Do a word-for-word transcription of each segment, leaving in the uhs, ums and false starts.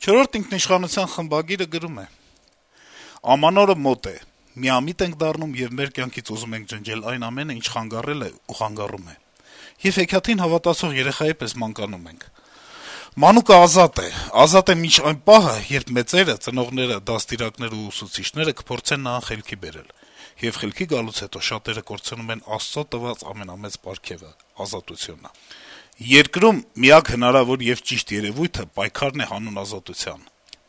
Չորրորդ ինքնիշխանության խմբագիրը գրում է. - «Ամանորը մոտ է, միամիտ ենք դառնում եւ մեր կյանքից ուզում ենք ջնջել այն ամենը, ինչ խանգարել է ու խանգարում է: Եվ հեքիաթին հավատացող երեխայի պես մանկանում ենք: Մանուկը ազատ է, ազատ է մինչ այն պահը, երբ մեծերը, ծնողները, դաստիարակներն ու ուսուցիչները կփորձեն նրան խելքի բերել: Եվ խելքի գալուց հետո շատերը կորցնում են Աստծո տված ամենամեծ պարգևը` ազատությունը: Երկրում միակ հնարավոր եւ ճիշտ երեւույթը պայքարն է հանուն ազատության: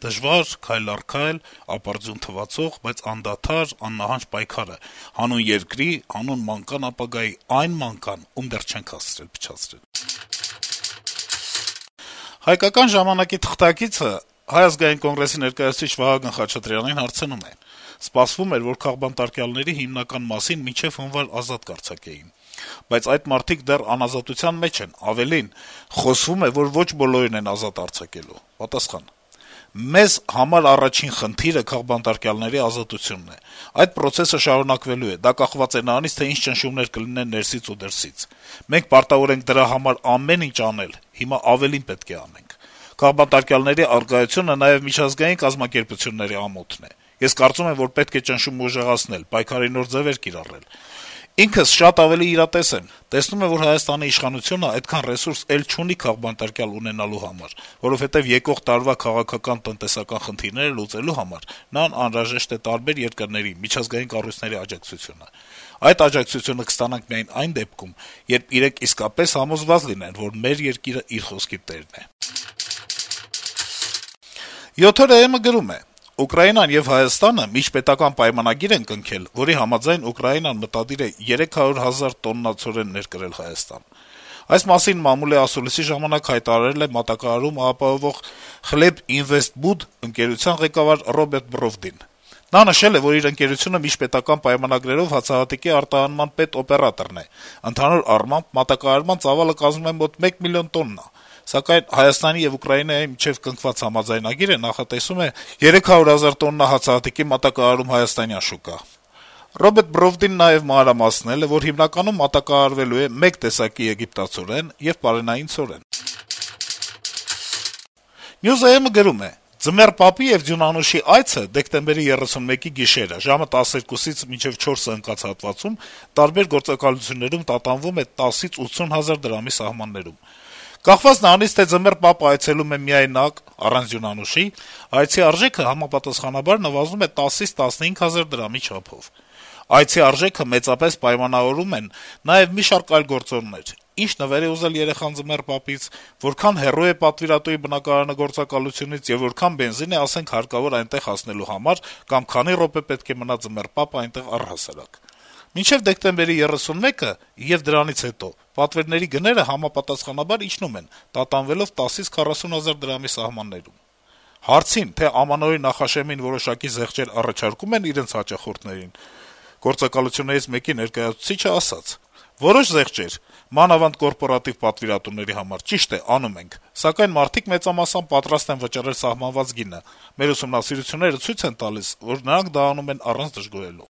Դժվար, քայլ առ քայլ, ապարդյուն թվացող, բայց անդադար, աննահանջ պայքարը` հանուն երկրի, հանուն մանկան ապագայի, այն մանկան, ում դեռ չենք հասցրել-փչացրել»: «Հայկական ժամանակ»-ի թղթակիցը Հայ ազգային կոնգրեսի ներկայացուցիչ Վահագն Խաչատրյանին հարցնում է. - «Սպասվում էր, որ քաղբանտարկյալների հիմնական մասին մինչեւ հունվար ազատ կարձակեին: Բայց այդ մարդիկ դեռ անազատության մեջ են, ավելին` խոսվում է, որ ոչ բոլորին են ազատ արձակելու»: Պատասխան. - «Մեզ համար առաջին խնդիրը քաղբանտարկյալների ազատությունն է: Այդ պրոցեսը շարունակվելու է: Դա կախված է նրանից, թե ինչ ճնշումներ կլինեն ներսից ու դրսից: Մենք պարտավոր ենք դրա համար ամեն ինչ անել: Հիմա ավելին պետք է անենք: Քաղբանտարկյալների առկայությունը նաեւ միջազգային կազմակերպությունների ամոթն է: Ես կարծում եմ, որ պետք է ճնշումը ուժեղացնել, պայքարի նոր ձեւեր կիրառել: Ինքս շատ ավելի իրատես եմ: Տեսնում եմ, որ Հայաստանի իշխանությունը այդքան ռեսուրս էլ չունի քաղբանտարկյալ ունենալու համար, որովհետեւ եկող տարվա քաղաքական-տնտեսական խնդիրները լուծելու համար նրան անհրաժեշտ է տարբեր երկրների, միջազգային կառույցների աջակցությունը: Այդ աջակցությունը կստանանք միայն այն դեպքում, երբ իրենք իսկապես համոզված լինեն, որ մեր երկիրը իր խոսքի տերն է»: «Յոթ օր»-ը գրում է. - «Ուկրաինան եւ Հայաստանը միջպետական պայմանագիր են կնքել, որի համաձայն Ուկրաինան մտադիր է երեք հարյուր հազար տոննա ցորեն ներկրել Հայաստան: Այս մասին մամուլի ասուլիսի ժամանակ հայտարարել է մատակարարում ապահովող «Խլեբինվեստբուդ» ընկերության ղեկավար Ռոբերտ Բրովդին: Նա նշել է, որ իր ընկերությունը միջպետական պայմանագրերով հացահատիկի արտահանման պետօպերատորն է: Ընդհանուր առմամբ մատակարարման ծավալը կազմում է մոտ մեկ միլիոն տոննա: Սակայն Հայաստանի եւ Ուկրաինայի միջեւ կնքված համաձայնագիրը նախատեսում է երեք հարյուր հազար տոննա հացահատիկի մատակարարում հայաստանյան շուկա: Ռոբերտ Բրովդին նաեւ մանրամասնել է, որ հիմնականում մատակարարվելու է մեկ տեսակի եգիպտացորեն եւ պարենային ցորեն»: News.am-ը գրում է. - «Ձմեռ Պապի եւ Ձյուն Անուշի այցը դեկտեմբերի երեսունմեկի գիշերը ժամը տասներկուսից մինչեւ չորսը ընկած հատվածում տարբեր գործակալություններում տատանվում է տասից ութսուն հազար դրամի սահմաններում: Կախված նրանից, թե Ձմեռ Պապը այցելում է միայնակ, առանց Ձյուն Անուշի, այցի արժեքը համապատասխանաբար նվազում է տասից տասնհինգ հազար դրամի չափով: Այցի արժեքը մեծապես պայմանավորում են նաեւ մի շարք այլ գործոններ. ինչ նվեր է ուզել երեխան Ձմեռ Պապից, որքան հեռու է պատվիրատուի բնակարանը գործակալությունից եւ որքան բենզին է, ասենք, հարկավոր այնտեղ հասնելու համար կամ քանի րոպե պետք է մնա Ձմեռ Պապը այնտեղ առհասարակ: Մինչեւ դեկտեմբերի երեսունմեկը եւ դրանից հետո պատվերների գները համապատասխանաբար իջնում են, տատանվելով տասից քառասուն հազար դրամի սահմաններում»: Հարցին, թե ամանորի նախաշեմին որոշակի զեղչեր առաջարկում են իրենց հաճախորդներին, գործակալություններից մեկի ներկայացուցիչը ասաց. - «Որոշ զեղչեր, մանավանդ կորպորատիվ պատվիրատուների համար, ճիշտ է, անում ենք, սակայն մարդիկ մեծամասամբ պատրաստ են վճարել սահմանված գինը: Մեր ուսումնասիրությունները ցույց են տալիս, որ նրանք դա անում են առանց դժգոհելու»: